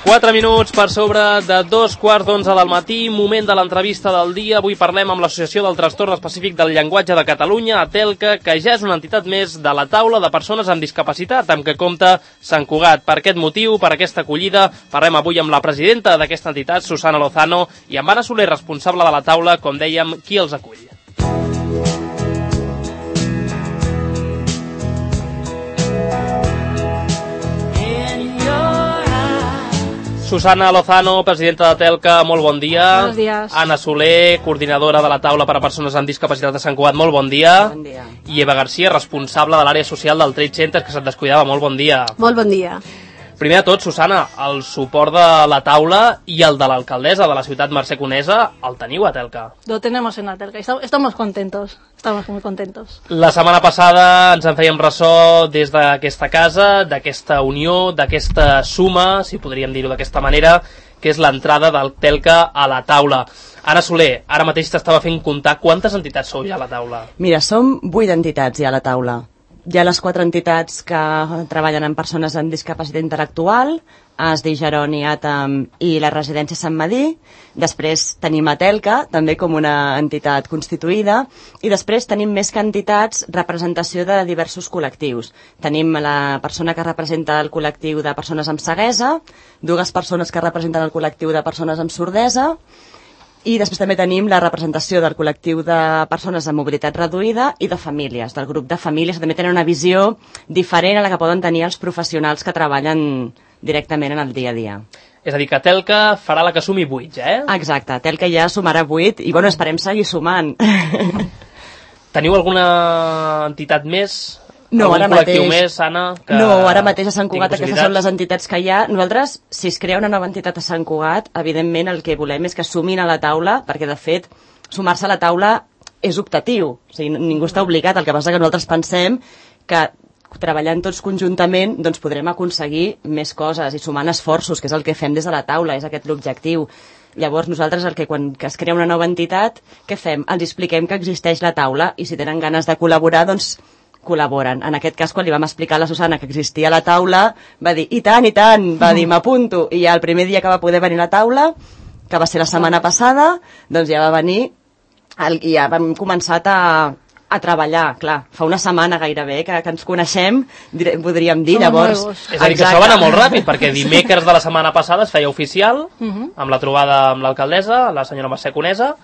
4 minuts per sobre de 2:15 del matí, moment de l'entrevista del dia. Avui parlem amb l'Associació del Trastorn Específic del Llenguatge de Catalunya, ATELCA, que ja és una entitat més de la taula de persones amb discapacitat, amb què compta Sant Cugat. Per aquest motiu, per aquesta acollida, parlem avui amb la presidenta d'aquesta entitat, Susana Lozano, i amb Anna Soler, responsable de la taula, com dèiem, qui els acull. Susana Lozano, presidenta d'ATELCA, molt bon dia. Buenos días. Anna Soler, coordinadora de la taula per a persones amb discapacitat de Sant Cugat, molt bon dia. Bon dia. I Eva Garcia, responsable de l'àrea social del Trade Center, que se't descuidava, molt bon dia. Molt bon dia. Primer de tot, Susana, el suport de la taula i el de l'alcaldessa de la ciutat, Mercè Conesa, el teniu a ATELCA? Lo tenemos en ATELCA. Estamos contentos. Estamos muy contentos. La setmana passada ens en fèiem ressò des d'aquesta casa, d'aquesta unió, d'aquesta suma, si podríem dir-ho d'aquesta manera, que és l'entrada del ATELCA a la taula. Anna Soler, ara mateix t'estava fent comptar quantes entitats sou ja a la taula. Mira, som 8 entitats ja a la taula. Hi ha les 4 entitats que treballen amb persones amb discapacitat intel·lectual, ASDI, Geroni, ATAM i la residència Sant Madí. Després tenim ATELCA, també com una entitat constituïda, i després tenim més que entitats representació de diversos col·lectius. Tenim la persona que representa el col·lectiu de persones amb ceguesa, 2 persones que representen el col·lectiu de persones amb sordesa, i després també tenim la representació del col·lectiu de persones amb mobilitat reduïda i de famílies, del grup de famílies, que també tenen una visió diferent a la que poden tenir els professionals que treballen directament en el dia a dia. És a dir, que ATELCA farà la que sumi 8, Exacte, ATELCA ja sumarà 8 i, bueno, esperem seguir sumant. Teniu alguna entitat més? No, ara mateix. Més, Anna, que no, ara mateix a Sant Cugat aquestes són les entitats que hi ha. Nosaltres, si es crea una nova entitat a Sant Cugat, evidentment el que volem és que sumin a la taula, perquè de fet sumar-se a la taula és optatiu, o sigui, ningú està obligat. El que passa que nosaltres pensem que treballant tots conjuntament doncs podrem aconseguir més coses i sumant esforços, que és el que fem des de la taula, és aquest l'objectiu. Llavors nosaltres quan es crea una nova entitat, què fem? Els expliquem que existeix la taula i si tenen ganes de col·laborar, doncs col·laboren. En aquest cas, quan li vam explicar a la Susana que existia la taula, va dir, i tant, va dir, m'apunto. I ja el primer dia que va poder venir a la taula, que va ser la setmana passada, doncs ja va venir i ja vam començar a treballar, clar, fa una setmana gairebé que ens coneixem, podríem dir, llavors... És a dir, que això va anar molt ràpid, perquè dimecres de la setmana passada es feia oficial, amb la trobada amb l'alcaldessa, la senyora Mercè Conesa,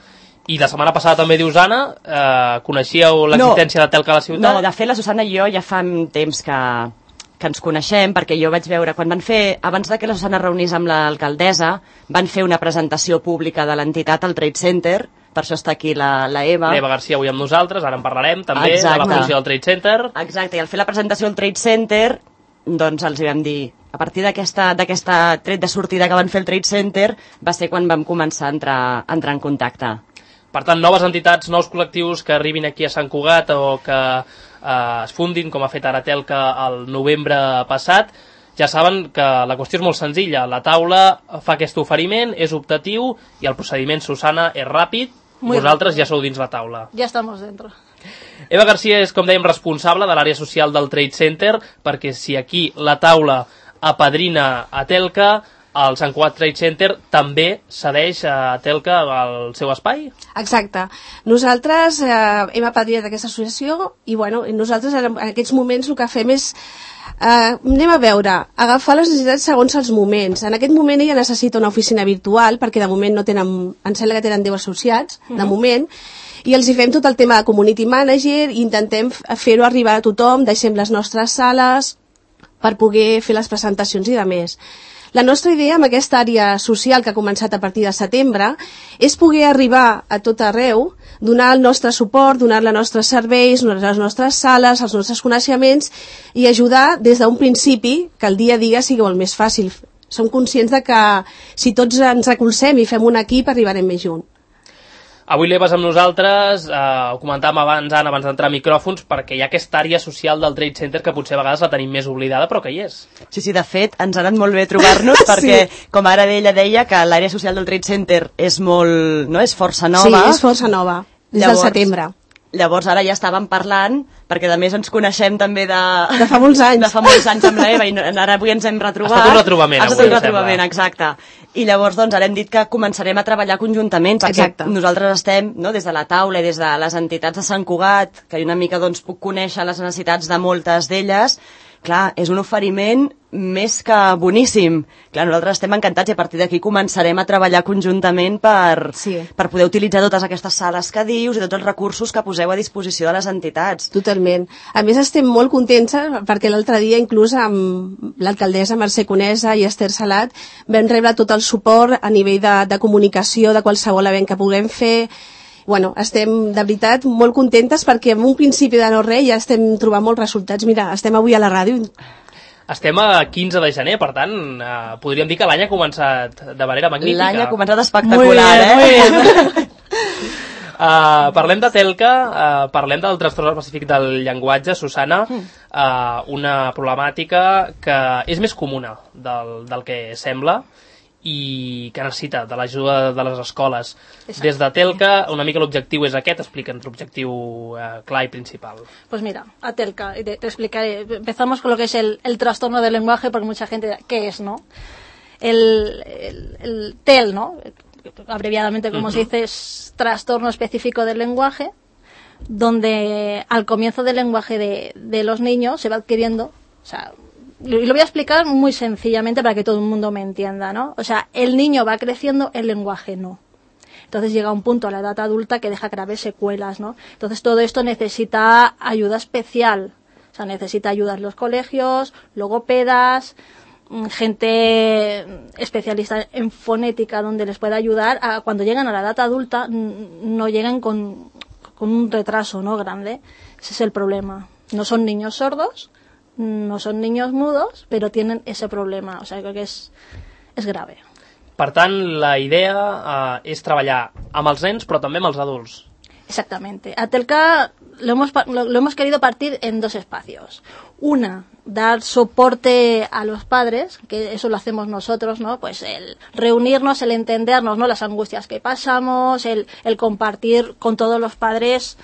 i la setmana passada també dius, Anna, coneixíeu l'existència d'ATELCA a la ciutat? No, de fet la Susana i jo ja fa temps que ens coneixem, perquè jo vaig veure, quan van fer, abans que la Susana reunís amb l'alcaldessa, van fer una presentació pública de l'entitat al Trade Center, per això està aquí la Eva. L'Eva Garcia avui amb nosaltres, ara en parlarem també, de la funció del Trade Center. Exacte, i al fer la presentació al Trade Center, doncs els hi vam dir, a partir d'aquesta tret de sortida que van fer el Trade Center, va ser quan vam començar a entrar en contacte. Per tant, noves entitats, nous col·lectius que arribin aquí a Sant Cugat o que es fundin, com ha fet ara ATELCA el novembre passat, ja saben que la qüestió és molt senzilla. La taula fa aquest oferiment, és optatiu i el procediment, Susana, és ràpid. Vosaltres ja sou dins la taula. Ja estamos dentro. Eva Garcia és, com dèiem, responsable de l'àrea social del Trade Center, perquè si aquí la taula apadrina ATELCA, el Sant Cugat Trade Center també cedeix a ATELCA el seu espai? Exacte. Nosaltres hem apadrinat aquesta associació i nosaltres en aquests moments el que fem és anem a veure, agafar les necessitats segons els moments. En aquest moment ella necessita una oficina virtual perquè de moment no tenen, em sembla que tenen 10 associats, de moment, i els hi fem tot el tema de community manager i intentem fer-ho arribar a tothom, deixem les nostres sales per poder fer les presentacions i de més. La nostra idea amb aquesta àrea social que ha començat a partir de setembre és poder arribar a tot arreu, donar el nostre suport, donar els nostres serveis, les nostres sales, els nostres coneixements i ajudar des d'un principi que el dia a dia sigui molt més fàcil. Som conscients de que si tots ens recolzem i fem un equip arribarem més junts. Avui l'Eva és amb nosaltres, ho comentàvem abans, Anna, abans d'entrar a micròfons, perquè hi ha aquesta àrea social del Trade Center que potser a vegades la tenim més oblidada, però que hi és. Sí, de fet, ens ha anat molt bé trobar-nos, perquè, com ara ella deia, que l'àrea social del Trade Center és molt, no?, és força nova. Sí, és força nova, des del setembre. Llavors ara ja estàvem parlant, perquè a més ens coneixem també de fa molts anys. De fa molts anys amb l'Eva, i ara avui ens hem retrobat. Ha estat un retrobament, avui. Ha estat un retrobament, exacte. I llavors doncs ara hem dit que començarem a treballar conjuntament, perquè nosaltres estem, no, des de la taula i des de les entitats de Sant Cugat, que una mica doncs puc conèixer les necessitats de moltes d'elles. Clar, és un oferiment més que boníssim. Clar, nosaltres estem encantats i a partir d'aquí començarem a treballar conjuntament per poder utilitzar totes aquestes sales que dius i tots els recursos que poseu a disposició de les entitats. Totalment. A més, estem molt contents perquè l'altre dia, inclús amb l'alcaldessa Mercè Conesa i Esther Salat, vam rebre tot el suport a nivell de comunicació, de qualsevol event que puguem fer. Bueno, estem, de veritat, molt contentes perquè en un principi de no res ja estem trobant molts resultats. Mira, estem avui a la ràdio. Estem a 15 de gener, per tant, podríem dir que l'any ha començat de manera magnífica. L'any ha començat espectacular, Muy bien. Parlem de Telca, parlem del trastorn específic del llenguatge, Susana, una problemàtica que és més comuna del que sembla, i que necessita de l'ajuda de les escoles. Exacte. Des de Telca, una mica l'objectiu és aquest, explica'ns l'objectiu clar y principal. Pues mira, a Telca, te explicaré. Empezamos con lo que es el trastorno del lenguaje, porque mucha gente, ¿qué es, no? El TEL, ¿no? Abreviadamente, como se dice, es trastorno específico del lenguaje, donde al comienzo del lenguaje de los niños se va adquiriendo, o sea, y lo voy a explicar muy sencillamente para que todo el mundo me entienda, ¿no? O sea, el niño va creciendo, el lenguaje no. Entonces llega un punto a la edad adulta que deja graves secuelas, ¿no? Entonces todo esto necesita ayuda especial. O sea, necesita ayuda en los colegios, logopedas, gente especialista en fonética donde les pueda ayudar a cuando llegan a la edad adulta no lleguen con un retraso, ¿no?, grande. Ese es el problema. No son niños sordos, no son niños mudos, pero tienen ese problema. O sea, creo que es grave. Per tant, la idea és treballar amb els nens, però també amb els adults. Exactamente. A Telca lo hemos querido partir en dos espacios. Una, dar soporte a los padres, que eso lo hacemos nosotros, ¿no? Pues el reunirnos, el entendernos, ¿no?, las angustias que pasamos, el compartir con todos los padres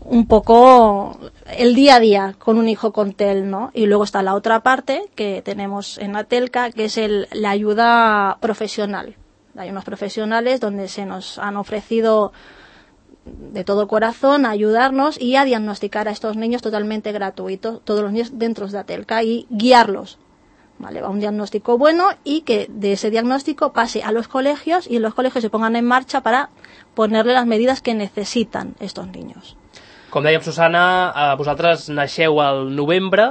un poco el día a día con un hijo con TEL, ¿no? Y luego está la otra parte que tenemos en la Telca, que es la ayuda profesional. Hay unos profesionales donde se nos han ofrecido de todo corazón a ayudarnos y a diagnosticar a estos niños totalmente gratuito, todos los niños dentro de la Telca, y guiarlos, ¿vale? A un diagnóstico bueno y que de ese diagnóstico pase a los colegios y en los colegios se pongan en marcha para ponerle las medidas que necesitan estos niños. Com dèiem, Susana, vosaltres naixeu al novembre,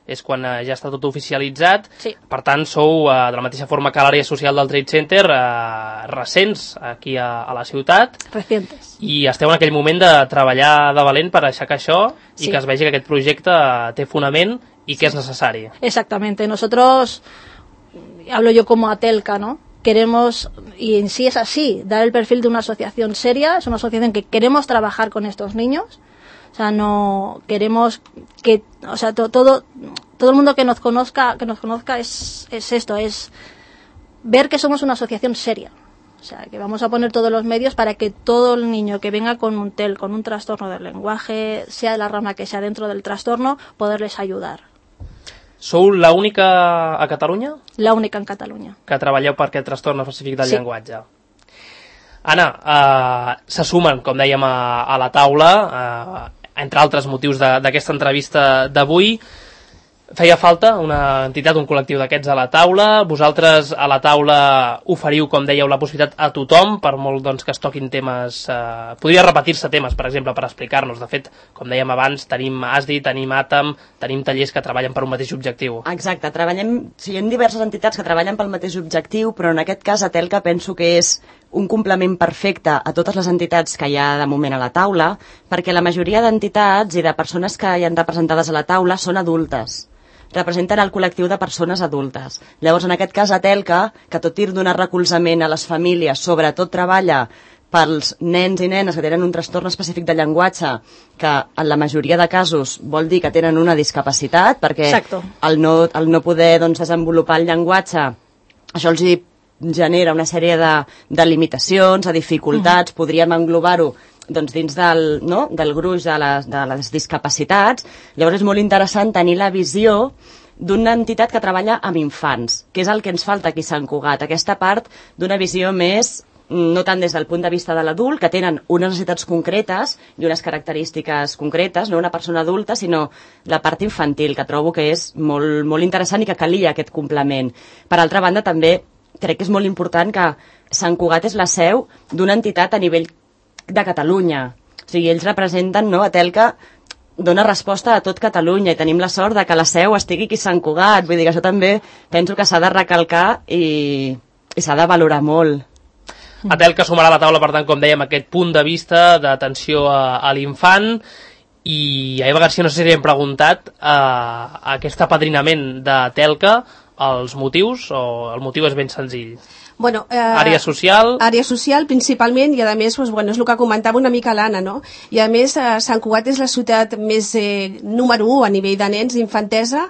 és quan ja està tot oficialitzat. Sí. Per tant, sou, de la mateixa forma que l'àrea social del Trade Center, recents aquí a la ciutat. Recientes. I esteu en aquell moment de treballar de valent per aixecar això i que es vegi que aquest projecte té fonament i que és necessari. Exactamente. Nosotros, hablo yo como Atelca, ¿no?, queremos, y en sí es así, dar el perfil de una asociación seria. Es una asociación que queremos trabajar con estos niños. O sea, no queremos que, o sea, todo el mundo que nos conozca es esto, es ver que somos una asociación seria. O sea, que vamos a poner todos los medios para que todo el niño que venga con un TEL, con un trastorno del lenguaje, sea de la rama que sea dentro del trastorno, poderles ayudar. Sou l'única a Catalunya? La única en Catalunya. Que treballeu per aquest trastorn específic del llenguatge. Anna, se sumen, com dèiem, a la taula, entre altres motius d'aquesta entrevista d'avui. Feia falta una entitat, un col·lectiu d'aquests a la taula. Vosaltres a la taula oferiu, com dèieu, la possibilitat a tothom, per molt doncs, que es toquin temes. Podria repetir-se temes, per exemple, per explicar-nos. De fet, com dèiem abans, tenim ASDI, tenim ATAM, tenim tallers que treballen per un mateix objectiu. Exacte, hi ha diverses entitats que treballen pel mateix objectiu, però en aquest cas a Telca penso que és un complement perfecte a totes les entitats que hi ha de moment a la taula, perquè la majoria d'entitats i de persones que hi han representades a la taula són adultes. Representen el col·lectiu de persones adultes. Llavors, en aquest cas, a Telca, que tot i donar recolzament a les famílies, sobretot treballa pels nens i nenes que tenen un trastorn específic de llenguatge, que en la majoria de casos vol dir que tenen una discapacitat, perquè el no poder desenvolupar el llenguatge, això els genera una sèrie de limitacions, de dificultats, podríem englobar-ho doncs, dins del gruix de les discapacitats. Llavors és molt interessant tenir la visió d'una entitat que treballa amb infants, que és el que ens falta aquí a Sant Cugat, aquesta part d'una visió més, no tant des del punt de vista de l'adult, que tenen unes necessitats concretes i unes característiques concretes, no una persona adulta, sinó la part infantil, que trobo que és molt, molt interessant i que calia aquest complement. Per altra banda, també crec que és molt important que Sant Cugat és la seu d'una entitat a nivell de Catalunya. O sigui, ells representen, no, a Telca, dona resposta a tot Catalunya i tenim la sort de que la seu estigui aquí a Sant Cugat. Vull dir que això també penso que s'ha de recalcar i s'ha de valorar molt. A Telca sumarà a la taula, per tant, com dèiem, aquest punt de vista d'atenció a l'infant. I a Eva Garcia no sé si li hem preguntat aquest apadrinament de Telca, els motius, o el motiu és ben senzill? Bueno, àrea social? Àrea social, principalment, i a més, doncs, bueno, és el que comentava una mica l'Anna, no? I a més, Sant Cugat és la ciutat més número 1 a nivell de nens d'infantesa,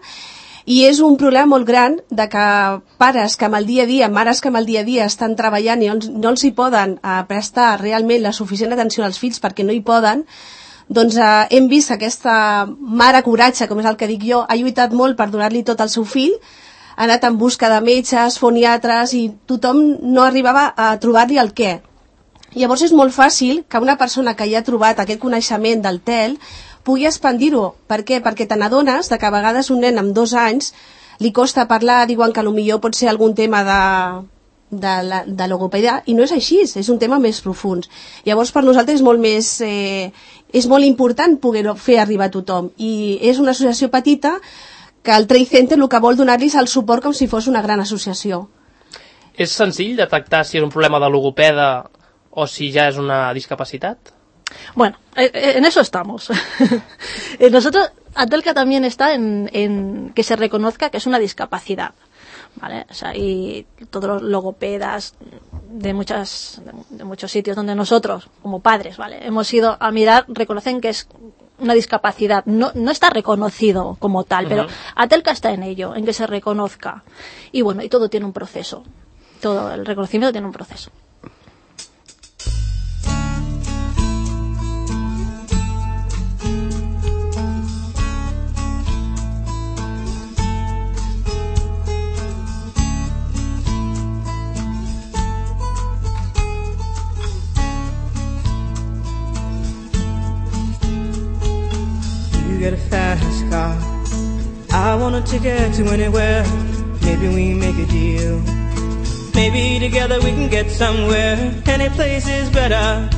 i és un problema molt gran de que pares que amb el dia a dia, mares que amb el dia a dia estan treballant i no els hi poden prestar realment la suficient atenció als fills perquè no hi poden, doncs hem vist que aquesta mare coratge, com és el que dic jo, ha lluitat molt per donar-li tot al seu fill, ha anat en busca de metges, foniatres, i tothom no arribava a trobar-li el què. Llavors és molt fàcil que una persona que ja ha trobat aquest coneixement del TEL pugui expandir-ho. Per què? Perquè te n'adones que a vegades un nen amb 2 anys li costa parlar, diuen que potser pot ser algun tema de logopedia, i no és així, és un tema més profund. Llavors per nosaltres és molt important poder-ho fer arribar a tothom, i és una associació petita que el Trade Center el que vol donar-los el suport com si fos una gran associació. És senzill detectar si és un problema de logopeda o si ja és una discapacitat? Bueno, en eso estamos. Nosotros, Atelca también está en que se reconozca que es una discapacidad, ¿vale? O sea, y todos los logopedas de muchos sitios donde nosotros, como padres, ¿vale?, hemos ido a mirar, reconocen que es una discapacidad, no está reconocido como tal, pero Atelca está en ello, en que se reconozca. Y bueno, y todo tiene un proceso. Todo el reconocimiento tiene un proceso. Get a fast car, I want a ticket to anywhere. Maybe we make a deal. Maybe together we can get somewhere. Any place is better.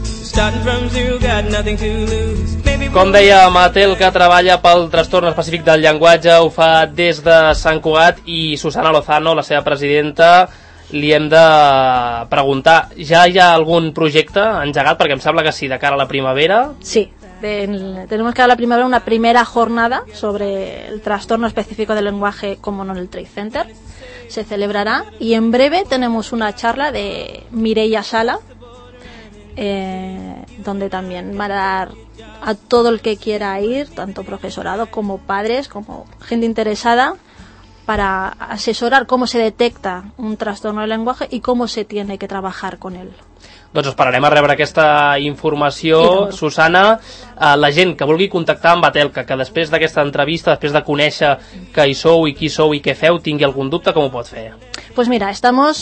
Starting from zero, got nothing to lose. Com deia Matel, que treballa pel trastorn específic del llenguatge, ho fa des de Sant Cugat, i Susana Lozano, la seva presidenta, li hem de preguntar, ja hi ha algun projecte engegat? Perquè em sembla que sí, de cara a la primavera. Sí. Tenemos que dar la primavera una primera jornada sobre el trastorno específico del lenguaje como no en el Trade Center. Se celebrará, y en breve tenemos una charla de Mireia Sala, donde también va a dar a todo el que quiera ir, tanto profesorado como padres, como gente interesada, para asesorar cómo se detecta un trastorno del lenguaje i com se tiene que trabajar con él. Doncs esperarem a rebre aquesta informació, Susana. La gent que vulgui contactar amb Atelca, que després d'aquesta entrevista, després de conèixer que hi sou i qui sou i què feu, tingui algun dubte, com ho pot fer? Pues mira,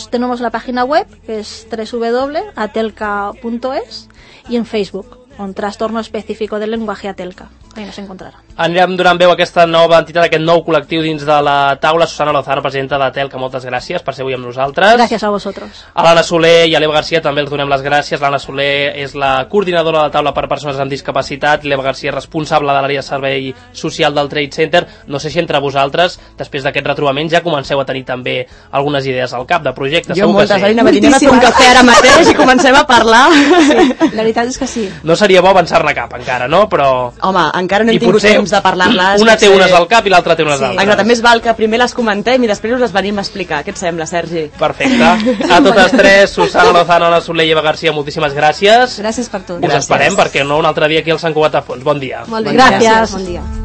tenemos la página web, que es www.atelca.es, y en Facebook, con Trastorno Específico del Lenguaje Atelca. Ahí nos encontraran. Anirem donant veu a aquesta nova entitat, aquest nou col·lectiu dins de la taula. Susana Lozano, presidenta d'Atelca, moltes gràcies per ser avui amb nosaltres. Gràcies a vosaltres. A l'Anna Soler i a l'Eva Garcia també els donem les gràcies. L'Anna Soler és la coordinadora de la taula per persones amb discapacitat, l'Eva Garcia és responsable de l'àrea de servei social del Trade Center. No sé si entre vosaltres, després d'aquest retrobament, ja comenceu a tenir també algunes idees al cap de projectes. Jo moltes, Alina, anem a fer un cafè ara mateix i comencem a parlar. Sí, la veritat és que sí. No seria bo avançar-ne cap encara, no? Però... Home, encara no hem tingut temps de parlar-les. Una té unes al cap i l'altra té unes altres. Exacte, més val que primer les comentem i després us les venim a explicar. Què et sembla, Sergi? Perfecte. A totes tres, Susana Lozano, Anna Soler i Eva Garcia, moltíssimes gràcies. Gràcies per tot. Us esperem, perquè no, un altre dia aquí al Sant Cugat a Fons. Bon dia. Molt bé, gràcies. Bon dia.